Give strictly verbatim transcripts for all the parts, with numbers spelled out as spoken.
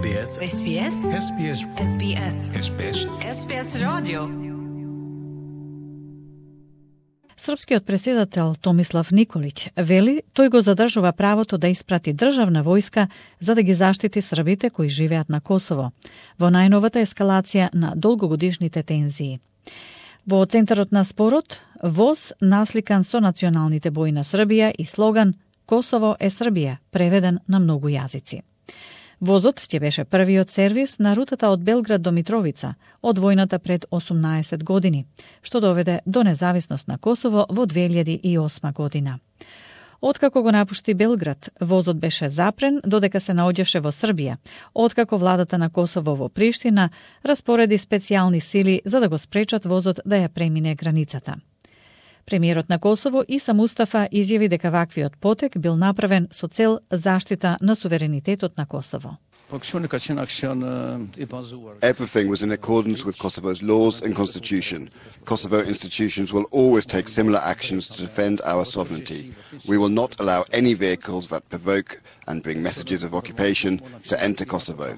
SBS SBS SBS SBS SBS SBS радио. Српскиот преседател Томислав Николич вели тој го задржува правото да испрати државна војска за да ги заштити србите кои живеат на Косово во најновата ескалација на долгогодишните тензии. Во центарот на спорот, воз насликан со националните бои на Србија и слоган «Косово е Србија», преведен на многу јазици. Возот ќе беше првиот сервис на рутата од Белград до Митровица од војната пред осумнаесет години, што доведе до независност на Косово во две илјади и осма година. Откако го напушти Белград, возот беше запрен додека се наоѓаше во Србија, откако владата на Косово во Приштина распореди специјални сили за да го спречат возот да ја премине границата. Премиерот на Косово Иса Мустафа изјави дека ваквиот потек бил направен со цел заштита на суверенитетот на Косово. Everything was in accordance with Kosovo's laws and constitution. Kosovo institutions will always take similar actions to defend our sovereignty. We will not allow any vehicles that provoke and bring messages of occupation to enter Kosovo.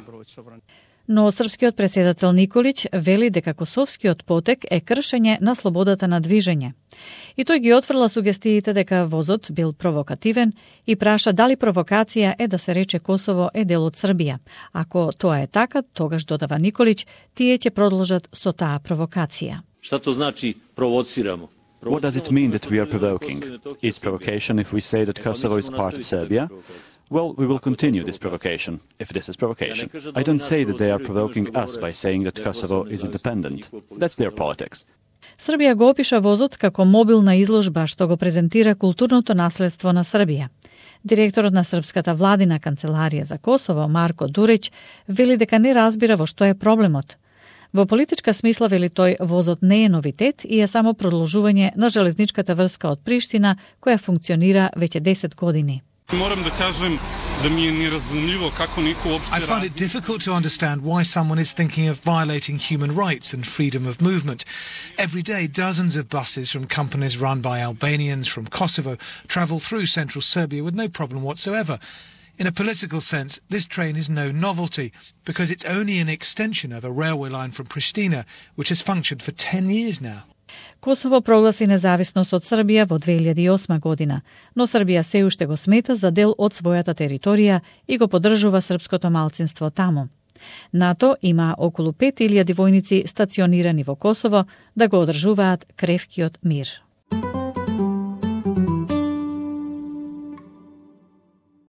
Но српскиот председател Николич вели дека косовскиот потек е кршење на слободата на движење. И тој ги отфрла сугестиите дека возот бил провокативен и праша дали провокација е да се рече Косово е дел од Србија. Ако тоа е така, тогаш додава Николич, тие ќе продолжат со таа провокација. Шта то значи провоцирамо? What does it mean that we are provoking? Is provocation if we say that Kosovo is part of Serbia? Well, we will continue this provocation, if this is provocation. I don't say that they are provoking us by saying that Kosovo is independent. That's their politics. Србија го опиша возот како мобилна изложба што го презентира културното наследство на Србија. Директорот на Српската владина канцеларија за Косово, Марко Дурич, вели дека не разбира во што е проблемот. Во политичка смисла, вели тој, возот не е новитет и е само продолжување на железничката врска од Приштина, која функционира веќе десет години. Moram da kažem da mi je nerazumljivo kako niko uopšte I find it difficult to understand why someone is thinking of violating human rights and freedom of movement. Every day, dozens of buses from companies run by Albanians from Kosovo travel through central Serbia with no problem whatsoever. In a political sense, this train is no novelty because it's only an extension of a railway line from Pristina, which has functioned for ten years now. Косово прогласи независност од Србија во две илјади и осма година, но Србија се уште го смета за дел од својата територија и го поддржува српското малцинство таму. НАТО има околу пет илјади војници стационирани во Косово да го одржуваат кревкиот мир.